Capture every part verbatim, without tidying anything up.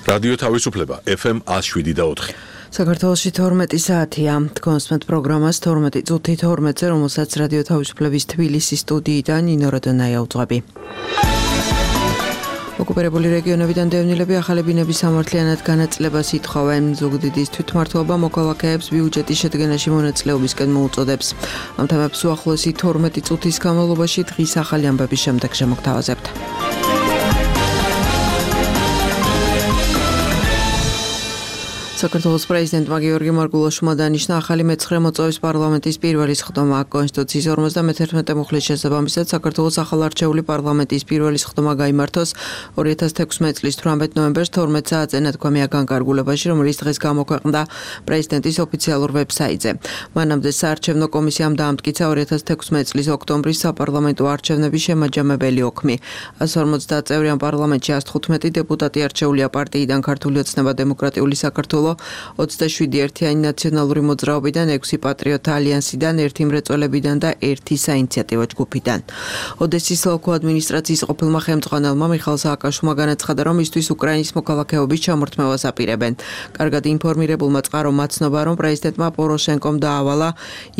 რადიო თავისუფლება ეფ ემ one oh seven და four. საქართველოში თორმეტი საათია. თქვენსმეთ პროგრამას თორმეტი წუთი თორმეტზე, რომელსაც რადიო თავისუფლების თბილისის სტუდიიდან ნინო როდონაია უძღვები. ოკუპირებული რეგიონებიდან დევნილები ახალი ბინების სამართლიანად განაწილებას ითხოვენ. ზუგდიდის თვითმმართველობა მოქალაქეებს ბიუჯეტის შედგენაში მონაწილეობისკენ მოუწოდებს. ამ თემებს უახლოესი თორმეტი წუთის განმავლობაში დღის ახალი ამბების შემდეგ შემოგთავაზებთ. საქართველოს პრეზიდენტმა გიორგი მარგულაშვილმა დანიშნა ახალი მეცხრე მოწვევის პარლამენტის პირველი სხდომა. კონსტიტუციის ორმოცდამეთერთმეტე მუხლის შესაბამისად საქართველოს ახალარჩეული პარლამენტის პირველი სხდომა გაიმართოს ორი ათას თექვსმეტი წლის თვრამეტ ნოემბერს თორმეტ საათზე ნათქვამია განკარგულებაში, რომელიც დღეს გამოქვეყნდა პრეზიდენტის ოფიციალურ ვებსაიტზე. მანამდე საარჩევნო კომისიამ დაამტკიცა ორი ათას თექვსმეტი წლის ოქტომბრის საპარლამენტო არჩევნების შემაჯამებელი ოქმი. one forty წევრიან პარლამენტში one fifteen დეპუტატი არჩეულია პარტიიდან ქართული ოცნება დემოკრატიული საქართველო, ოცდაშვიდი ერთიანი ნაციონალური მოძრაობიდან, ექვსი პატრიოტთა ალიანსიდან, ერთი მრეწველებიდან და ერთი საინიციატივო ჯგუფიდან. ოდესის ოლქო ადმინისტრაციის ყოფილმა ხელმძღვანელმა მიხაილ სააკაშვილმა განაცხადა, რომ მისთვის უკრაინის მოქალაქეობის ჩამორთმევას აპირებენ. კარგად ინფორმირებულმა წყარო მაცნობა, რომ პრეზიდენტმა პოროშენკომ დაავალა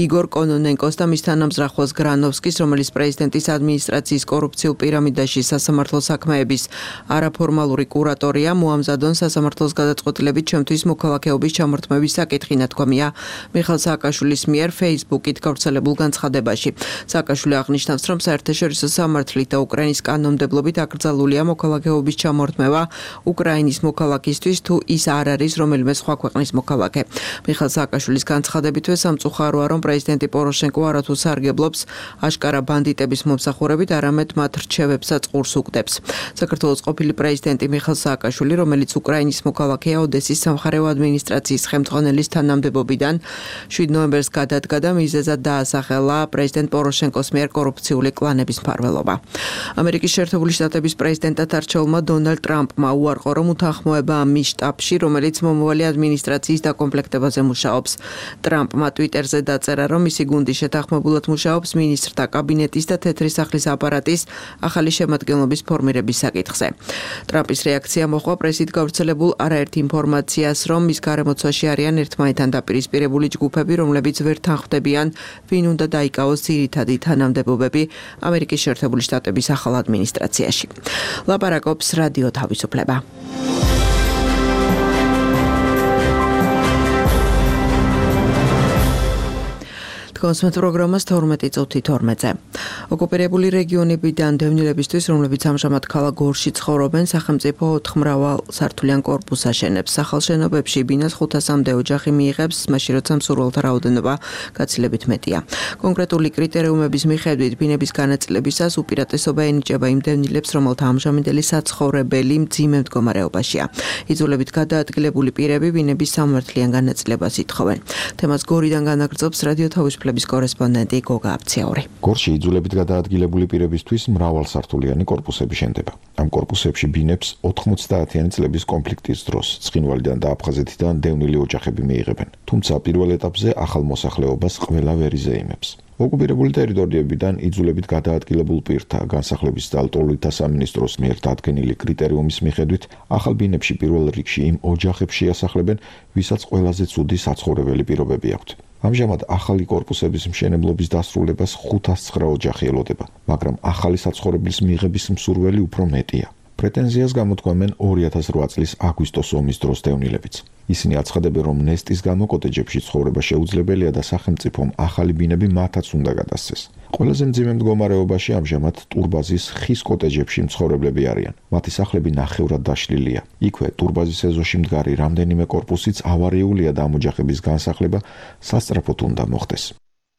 იგორ კონონენკოს და მის თანამზრახვას გრანოვსკის, რომელიც პრეზიდენტის ადმინისტრაციის კორუფციულ პირამიდაში სასამართლო საქმეების არაფორმალური კურატორია, მოამზადონ სასამართლოს გადაწყვეტილებით ჩემთვის მოქალაქეობის ჩამორთმევის საკითხი, ნათქვამია მიხაილ სააკაშვილის მიერ Facebook-ით გავრცელებულ განცხადებაში. სააკაშვილი აღნიშნავს, რომ საერთაშორისო სამართლით და უკრაინის კანონმდებლობით აკრძალულია მოქალაქეობის ჩამორთმევა უკრაინის მოქალაქისთვის, თუ ის არ არის რომელიმე სხვა ქვეყნის მოქალაქე. მიხაილ სააკაშვილის განცხადებითვე სამწუხაროა, რომ პრეზიდენტი პოროშენკო არათუ სარგებლობს აშკარა ბანდიტების მომსახურებით, არამედ მათ რჩევებსაც ყურს უგდებს. საქართველოს ყოფილი პრეზიდენტი მიხაილ სააკაშვილი, რომელიც უკრაინის მოქალაქეა, ოდესის სამხარეო ადმინისტრაციის ხელმძღვანელის თანამდებობიდან შვიდ ნოემბერს გადადგა და მიზეზად დაასახელა პრეზიდენტ პოროშენკოს მიერ კორუფციული კლანების მფარველობა. ამერიკის შეერთებული შტატების პრეზიდენტად არჩეულმა დონალდ ტრამპმა უარყო, რომ უთანხმოებაა მის შტაბში, რომელიც მომავალი ადმინისტრაციის დაკომპლექტებაზე მუშაობს. ტრამპმა ტვიტერზე დაწერა, რომ მისი გუნდი შეთანხმებულად მუშაობს მინისტრთა კაბინეტის და თეთრი სახლის აპარატის ახალი შემადგენლობის ფორმირების საკითხზე. ტრამპის რეაქცია მოჰყვა პრესით გავრცელებულ არაერთ ინფორმაციას, რომ მის გარემოცვაში არიან ერთმანეთთან დაპირისპირებული ჯგუფები, რომლებიც ვერ თანხმდებიან, ვინ უნდა დაიკავოს ძირითადი თანამდებობები ამერიკის შეერთებული შტატების ახალ ადმინისტრაციაში. ლაპარაკობს რადიო თავისუფლება. კონსმეთ პროგრამას თორმეტი წუთი თორმეტზე. ოკუპირებული რეგიონებიდან დევნილებისთვის, რომლებიც ამჟამად ქალაქ გორში ცხოვრობენ, სახელმწიფო ოთხმრავალ სართულიან კორპუსს აშენებს. ახალ შენობებში ბინას ხუთასამდე ოჯახი მიიღებს, მაშინ როცა მსურველთა რაოდენობა გაცილებით მეტია. კონკრეტული კრიტერიუმების მიხედვით ბინების განაწილებისას უპირატესობა ენიჭება იმ დევნილებს, რომელთა ამჟამინდელი საცხოვრებელი მძიმე მდგომარეობაშია. იძულებით გადაადგილებული პირები ბინების სამართლიან განაწილებას ითხოვენ. თემას გორიდან განაგრძობს რადიო თავისუფლების კორესპონდენტი გოგა აფციაური. გორში იძულებით გადაადგილებული პირებისთვის მრავალსართულიანი კორპუსები შენდება. ამ კორპუსებში ბინებს ოთხმოცდაათიანი წლების კონფლიქტის დროს ცხინვალიდან და აფხაზეთიდან დევნილი ოჯახები მიიღებენ. თუმცა პირველ ეტაპზე ახალ მოსახლეობას ყველა ვერ იზეიმებს. ოკუპირებული ტერიტორიებიდან იძულებით გადაადგილებულ პირთა განსახლების და ლტოლვილთა სამინისტროს მიერ დადგენილი კრიტერიუმის მიხედვით ახალ ბინებში პირველ რიგში იმ ოჯახებს შეასახლებენ, ვისაც ყველაზე ცუდი საცხოვრებელი პირობები აქვთ. ამჟამად ახალი კორპუსების მშენებლობის დასრულებას ხუთას ცხრა ოჯახი ელოდება, მაგრამ ახალი საცხოვრებლის მიღების მსურველი უფრო მეტია. პრეტენზიას გამოთქვამენ ორი ათას რვა წლის აგვისტოს ომის დროს დევნილებიც. ისინი აცხადებენ, რომ ნესტის გამო კოტეჯებში ცხოვრება შეუძლებელია და სახელმწიფომ ახალი ბინები მათაც უნდა გადასცეს. ყველაზე მძიმე მდგომარეობაში ამჟამად ტურბაზის ხის კოტეჯებში მცხოვრებლები არიან. მათი სახლები ნახევრად დაშლილია. იქვე ტურბაზის ეზოში მდგარი რამდენიმე კორპუსიც ავარიულია და ამ ოჯახების განსახლება სასწრაფოდ უნდა მოხდეს.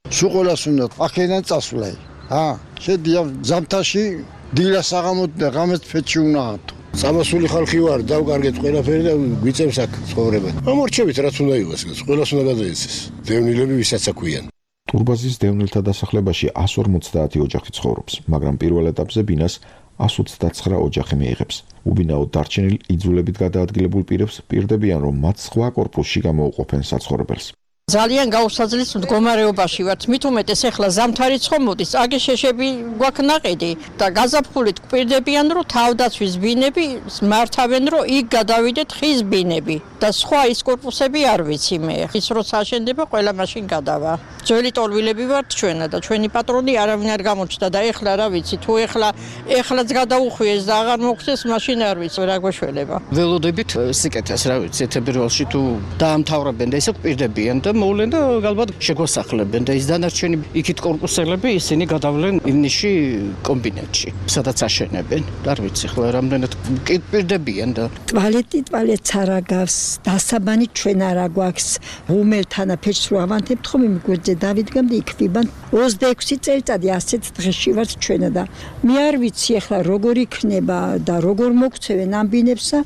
სულ ყველას უნდა აქედან წასვლაი. ა შედია ზამთარში დილა საღამოთ და ღამეს ფეთში უნდა ათო. სამასული ხალხი ვარ, დავკარგეთ ყველაფერი და გვიწევს აქ ცხოვრება. ამორჩევით რაც უნდა იყოს, ყველას უნდა გადაეცეს. დევნილები ვისაც აქვიან. ტურბაზის დევნილთა დასახლებაში one forty ოჯახი ცხოვრობს, მაგრამ პირველ ეტაპზე ბინას one ოცდაცხრა ოჯახი მიიღებს. უბინაოდ დარჩენილ იძულებით გადაადგილებულ პირებს პირდებიან, რომ მათ სხვა კორპუსში გამოუყოფენ საცხოვრებელს. ძალიან გაუსაძლის მდგომარეობაში ვართ. მით უმეტეს ახლა ზამთარი ცხომოდის, აგი შეშები გვაქვს ნაყიდი და გაზაფხულით გვპირდებიან, რომ თავდაცვის ბინები მართავენ, რომ იქ გადავიდეთ ხის ბინები და სხვა ის კორპუსები არ ვიცი მე. ის როცა აშენდება, ყველა მაშინ გადავა. ძველი ტოლვილები ვართ ჩვენა და ჩვენი პატრონი არავინ არ გამოჩნდა და ეხლა რა ვიცი, თუ ეხლა ეხლაც გადაუხვიეს და აღარ მოგწეს, მაშინ არ ვიცი რა გვეშველება. ველოდებით სიკეთეს რა ვიცი, თებერვალში თუ დაამთავრებენ და ისე გვპირდებიან და მოვლენ და ალბათ შეგვასახლებენ და ის დანარჩენი იქით კორპუსელები ისინი გადავლენ ივნისში კომბინატში, სადაც აშენებენ. არ ვიცი ხლა რამდენად კიპირდებიან და ტვალეტი ტვალეტს არ აგავს, დასაბანი ჩვენ არ აგვაქვს. ღუმელთან ფეჭს რო ავანთებთ ხომ იმ გვერდზე დავიდგამ და იქ ვიბან ოცდაექვსი წელიწადი ასეთ დღეში ვართ ჩვენ და მე არ ვიცი ახლა როგორ იქნება და როგორ მოგცევენ ამ ბინებსა.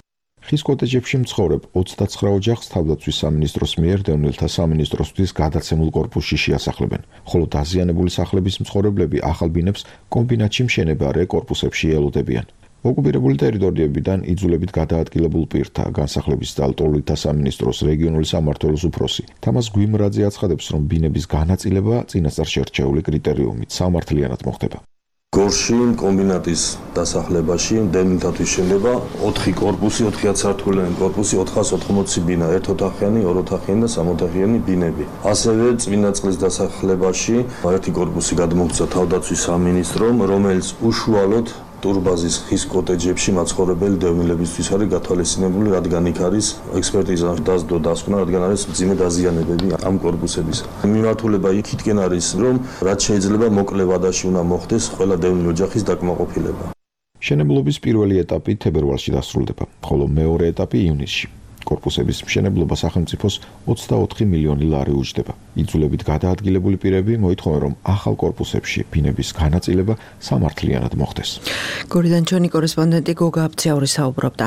ხის კოტეჯებში მცხოვრებ ოცდაცხრა ოჯახს თავდაცვის სამინისტროს მიერ დევნილთა სამინისტროსთვის გადაცემულ კორპუსში შეასახლებენ, ხოლო დაზიანებული სახლების მცხოვრებლები ახალ ბინებს კომბინატში მშენებარე კორპუსებში ელოდებიან. ოკუპირებული ტერიტორიებიდან იძულებით გადაადგილებულ პირთა განსახლების დალტოლვითა სამინისტროს რეგიონული სამმართველოს უფროსი თამას გვიმრაძე აცხადებს, რომ ბინების განაწილება წინასწარ შერჩეული კრიტერიუმით სამართლიანად მოხდება. გორში კომბინატის დასახლებაში დევნილთათვის შენდება ოთხი კორპუსი, ოთხი ათსართულიანი კორპუსი, ოთხას ოთხმოცი ბინა, ერთოთახიანი, ოროთახიანი და სამოთახიანი ბინები. ასევე წმინდა წყლის დასახლებაში ერთი კორპუსი გადმოგვცა თავდაცვის სამინისტრომ, რომელიც უშუალოდ ტურბაზის ხის კოტეჯებში მაცხოვრებელი დევნილებისთვის არის გათვალისწინებული, რადგან იქ არის ექსპერტიზა დასდო დასკვნა, რადგან არის მძიმე დაზიანებები ამ კორპუსებისა. მიმართულება იქითკენ არის, რომ რაც შეიძლება მოკლე ვადაში უნდა მოხდეს ყველა დევნილ ოჯახის დაკმაყოფილება. მშენებლობის პირველი ეტაპი თებერვალში დასრულდება, ხოლო მეორე ეტაპი ივნისში. კორპუსების მშენებლობა სახელმწიფოს ოცდაოთხი მილიონი ლარი უჯდება. იძულებით გადაადგილებული პირები მოითხოვენ, რომ ახალ კორპუსებში ბინების განაწილება სამართლიანად მოხდეს. გორიდან ჩვენი კორესპონდენტი გოგა აბციაური საუბრობდა.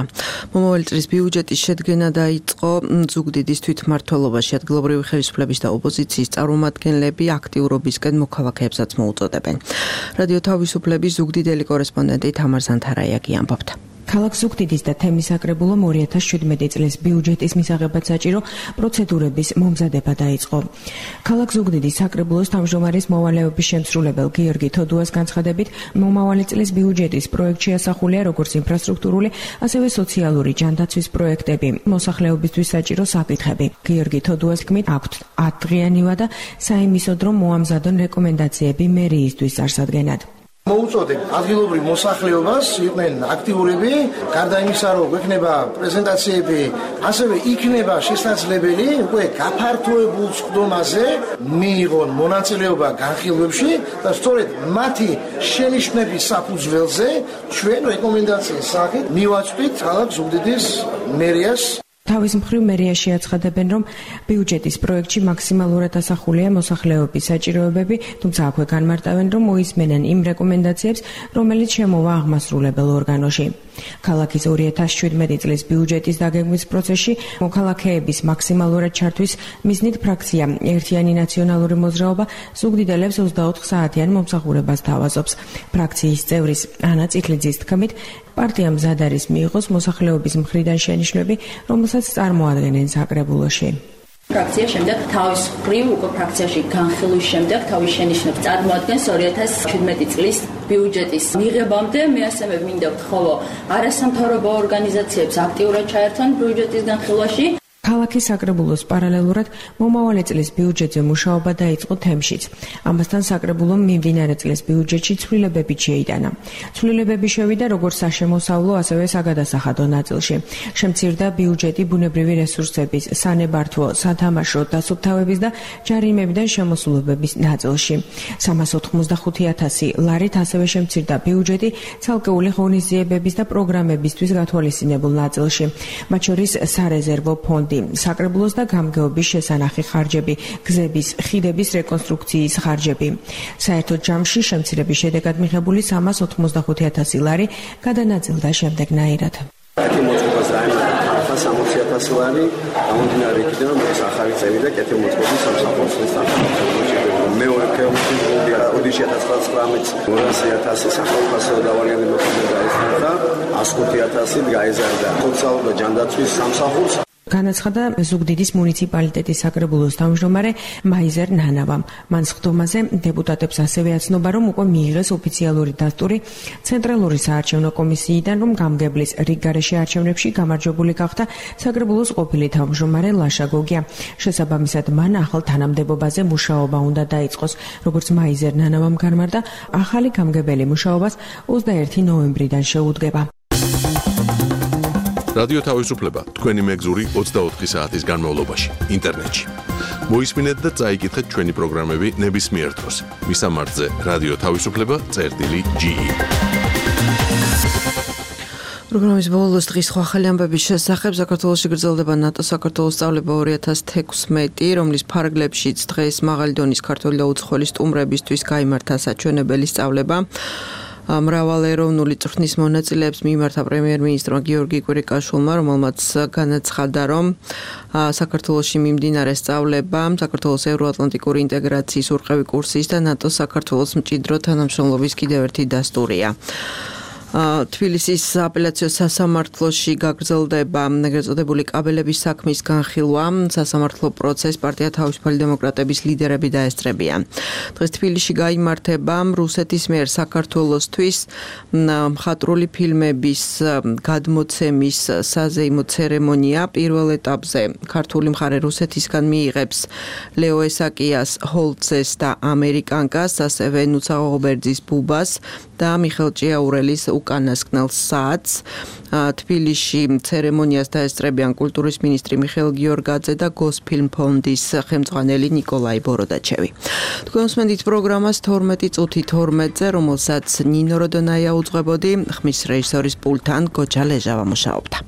მომავალი წლის ბიუჯეტის შედგენა დაიწყო ზუგდიდის თვითმმართველობაში. ადგილობრივი ხელისუფლების და ოპოზიციის წარმომადგენლები აქტიურობისკენ მოქალაქეებსაც მოუწოდებენ. რადიო თავისუფლების ზუგდიდელი კორესპონდენტი თამარ ზანთარაიაგი ამბობდა. ქალაქ ზუგდიდის და თემის საკრებულომ ორი ათას შვიდმეტი წლის ბიუჯეტის მისაღებად საჭირო პროცედურების მომზადება დაიწყო. ქალაქ ზუგდიდის საკრებულოს თავმჯდომარის მოვალეობის შემსრულებელ გიორგი თოდუას განცხადებით, მომავალი წლის ბიუჯეტის პროექტში ასახულია როგორც ინფრასტრუქტურული, ასევე სოციალური ჯანდაცვის პროექტები, მოსახლეობისთვის საჭირო საკითხები. გიორგი თოდუას თქმით, აქვთ ათდღიანი ვადა საიმისოდ, რომ მოამზადონ რეკომენდაციები მერიისთვის წარსადგენად. მოუწოდებ ადგილობრივ მოსახლეობას იყვნენ აქტიურები, გარდა იმისა, რომ გვექნება პრეზენტაციები, ასევე იქნება შესაძლებელი უკვე გაფართოებულ სხდომაზე მიიღონ მონაწილეობა განხილვებში და სწორედ მათი შენიშვნების საფუძველზე ჩვენ რეკომენდაციის სახით მივაწვდით ქალაქ ზუგდიდის მერიას. თავის მხრივ მერიაში აცხადებენ, რომ ბიუჯეტის პროექტში მაქსიმალურად ასახულია მოსახლეობის საჭიროებები, თუმცა აქვე განმარტავენ, რომ მოისმენენ იმ რეკომენდაციებს, რომელიც შემოვა აღმასრულებელ ორგანოში. ქალაქის ორი ათას შვიდმეტი წლის ბიუჯეტის დაგეგმვის პროცესში მოქალაქეების მაქსიმალურად ჩართვის მიზნით ფრაქცია ერთიანი ნაციონალური მოძრაობა ზუგდიდელებს ოცდაოთხ საათიან მომსახურებას თავაზობს. ფრაქციის წევრის ანა წიქლიძის თქმით, პარტიამ მზად არის მიიღოს მოსახლეობის მხრიდან შენიშვნები, რომელსაც წარმოადგენენ საკრებულოში. ფრაქცია შემდეგ თავის მხრივ უკვე ფრაქციაში განხილვის შემდეგ თავის შენიშვნებს წარმოადგენს ორი ათას შვიდმეტი წლის ბიუჯეტის მიღებამდე. მე ასევე მინდა ვთხოვო არასამთავრობო ორგანიზაციებს აქტიურად ჩაერთონ ბიუჯეტის განხილვაში. ქალაქის საკრებულოს პარალელურად მომავალი წლის ბიუჯეტზე მუშაობა დაიწყო თემშიც. ამასთან საკრებულომ მიმდინარე წლის ბიუჯეტში ცვლილებები შეიტანა. ცვლილებები შევიდა როგორც საშემოსავლო, ასევე საგადასახადო ნაწილში. შემცირდა ბიუჯეტი ბუნებრივი რესურსების, სანებართვო, სათამაშო, დასუფთავების და ჯარიმებიდან შემოსულობების ნაწილში. სამას ოთხმოცდახუთი ათასი ლარით ასევე შემცირდა ბიუჯეტი ცალკეული ღონისძიებების და პროგრამებისთვის გათვალისწინებულ ნაწილში. მათ შორის სარეზერვო ფონდი, საკრებულოს და გამგეობის შესანახი ხარჯები, გზების, ხიდების რეკონსტრუქციის ხარჯები. საერთო ჯამში შემცირების შედეგად მიღებული სამას ოთხმოცდახუთი ათასი ლარი გადანაწილდა შემდეგნაირად. კეთილმოწყობას დაემატა სამოცი ათასი ლარი, გამომდინარე იქიდან, რომ ეს ახალი წელი და კეთილმოწყობის სამსახურის სტანდარტი. მეორე ფეხბურთის გუნდია ოდიში ათას ცხრამეტს ორასი ათასი სახელმწიფო დავალიანებები გაიზარდა, ას ხუთი ათასი გაიზარდა სოციალურ და ჯანდაცვის სამსახურს. განაცხადა ზუგდიდის მუნიციპალიტეტის საკრებულოს თავმჯდომარე მაიზერ ნანავამ. მან სხდომაზე დეპუტატებს ასევე აცნობა, რომ უკვე მიიღეს ოფიციალური დასტური ცენტრალური საარჩევნო კომისიიდან, რომ გამგებლის რიგ გარეშე არჩევნებში გამარჯვებული გახდა საკრებულოს ყოფილი თავმჯდომარე ლაშა გოგია. შესაბამისად, მან ახალ თანამდებობაზე მუშაობა უნდა დაიწყოს. როგორც მაიზერ ნანავამ განმარტა, ახალი გამგებელი მუშაობას ოცდაერთი ნოემბრიდან შეუდგება. რადიო თავისუფლება თქვენი მეგზური ოცდაოთხი საათის განმავლობაში ინტერნეტში. მოისმინეთ და წაიკითხეთ ჩვენი პროგრამები ნებისმიერ დროს. მისამართზე რადიო თავისუფლება წერტილი ჯი ი. პროგრამის ბოლოს დღის სხვა ახალი ამბების შესახებ საქართველოში გრძელდება ნატო-საქართველოს სწავლება ორი ათას თექვსმეტი, რომლის ფარგლებშიც დღეს მაღალი დონის ქართველი და უცხოელი სტუმრებისთვის გაიმართა საჩვენებელი სწავლება. მრავალეროვნული წვრთნის მონაწილეებს მიმართა პრემიერ-მინისტრმა გიორგი კვირიკაშვილმა, რომელმაც განაცხადა, რომ საქართველოში მიმდინარე სწავლება საქართველოს ევროატლანტიკური ინტეგრაციის ურყევი კურსის და ნატო-საქართველოს მჭიდრო თანამშრომლობის კიდევ ერთი დასტურია. თბილისის აპელაციო სასამართლოში გაგრძელდება ეგრეთ წოდებული კაბელების საქმის განხილვა. სასამართლო პროცესს პარტია თავისუფალი დემოკრატების ლიდერები დაესწრებიან. დღეს თბილისში გაიმართება რუსეთის მიერ საქართველოსთვის მხატვრული ფილმების გადმოცემის საზეიმო ცერემონია. პირველ ეტაპზე ქართული მხარე რუსეთისგან მიიღებს ლეო ესაკიას ჰოლცეს და ამერიკანკას, ასევე ნუცა ღობერძის ბუბას და მიხელ ჭიაურელის უკანასკნელ საათს. თბილისში ცერემონიას დაესწრებიან კულტურის მინისტრი მიხეილ გიორგაძე და გოსფილმ ფონდის ხელმძღვანელი ნიკოლაი ბოროდაჩევი. თქვენ უსმენთ პროგრამას თორმეტი წუთი თორმეტზე, რომელსაც ნინო როდონაია უძღვებოდი, ხმის რეჟისორის პულტთან გოჯა ლეჟავა მუშაობდა.